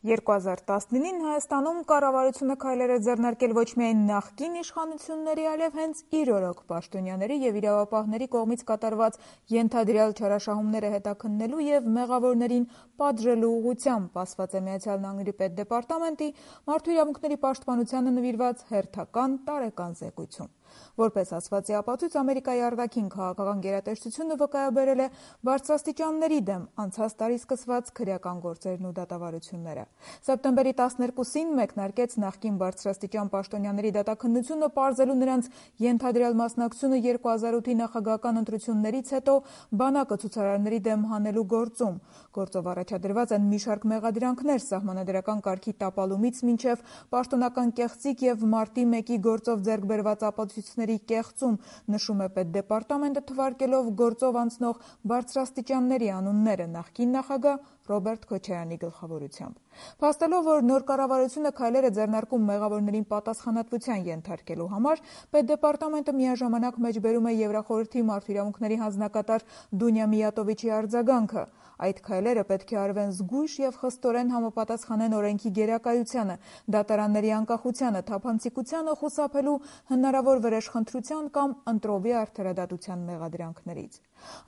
2019-ին Հայաստանում կառավարությունը քայլեր է ձեռնարկել ոչ միայն նախկին իշխանությունների, այլև հենց իր օրոք պաշտոնյաների և իրավապահների կողմից կատարված ենթադրյալ չարաշահումները հետաքննելու և մեղավորներին պատժելու ուղղությամբ, ասված է ԱՄՆ պետդեպարտամենտի մարդու իրավունքների պաշտպանությանը նվիրված հերթական տարեկան զեկույցում։ Որպես ասվածի ապացույց, Ամերիկայի արտաքին քաղաքական գերատեսչությունը վկայաբերել է բարձրաստիճանների դեմ անցած տարի սկսված քրեական գործերն ու դատավարությունները։ Սեպտեմբերի 12-ին մեկնարկեց նախկին բարձրաստիճան պաշտոնյաների դատաքննությունը, պարզելու նրանց ենթադրյալ մասնակցությունը 2008-ի նախագահական ընտրություններից հետո բանակը ցուցարարների դեմ հանելու գործում։ Գործով առաջադրված են մի շարք մեղադրանքներ սահմանադրական կարգի տապալումից մինչև պաշտոնական կեղծիք և մարտի 1-ի գործով ձեռք բերված ապացույցների կեղծում, նշում է պետդեպարտամենտը, թվարկելով գործով անցնող բարձրաստիճանների անունները նախկին նախագահ Ռոբերտ Քոչարյանի գլխավորությամբ։ Փաստելով, որ նոր կառավարությունը քայլեր է ձեռնարկում մեղավորներին պատասխանատվության ենթարկելու համար, պետդեպարտամենտը միաժամանակ մեջբերում է Եվրախորհրդի մարդու իրավունքների հանձնակատար Դունյա Միատովիչի արձագանքը։ Այդ քայլերը պետք է արվեն զգույշ և խստորեն համապատասխանեն օրենքի գերակայությանը, դատարանների անկախությանը, թափանցիկությանը խուսափելու հնարավոր վրեժխնդրության կամ ընտրովի արդարադատության մեղադրանքներից։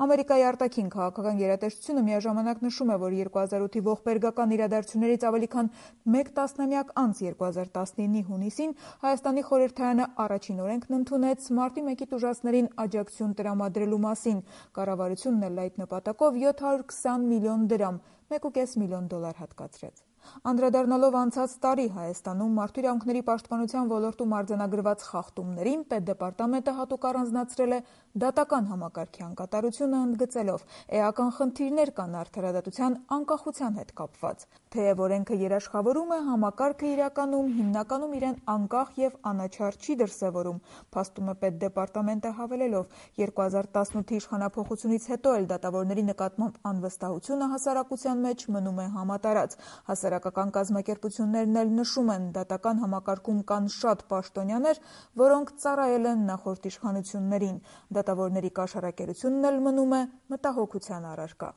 Ամերիկայի արտաքին քաղաքական գերատեսչությունը միաժամանակ նշում է, որ 2008-ի ողբերգական իրադարձություններից ավելի քան մեկ տասնամյակ անց 2019-ի հունիսին Հայաստանի խորհրդարանը առաջին օրենքն ընդունեց մարտի 1-ի տուժածներին աջակցություն տրամադրելու մասին։ Կառավարությունն էլ այդ նպատակով 720 միլիոն դրամ $1.5 միլիոն հատկացրեց։ Անդրադառնալով անցած տարի Հայաստանում մարդու իրավունքների պաշտպանության ոլորտում արձանագրված խախտումներին, պետդեպարտամենտը հատուկ առանձնացրել է դատական համակարգի անկատարությունը, ընդգծելով՝ էական խնդիրներ կան արդարադատության անկախության հետ կապված։ Թեև օրենքը երաշխավորում է, համակարգը իրականում հիմնականում իրեն անկախ և անաչառ չի դրսևորում, փաստում է պետդեպարտամենտը, հավելելով՝ 2018-ի իշխանափոխությունից հետո էլ դատավորների նկատմամբ անվստահությունը հասարակության մեջ մնում է համատարած։ Հասարակական կազմակերպություններն էլ նշում են՝ դատական համակարգում կան շատ պաշտոնյաներ, որոնք ծառայել են նախորդ իշխանություններին։ Դատավորների կաշառակերությունն էլ մնում է մտահոգության առարկա։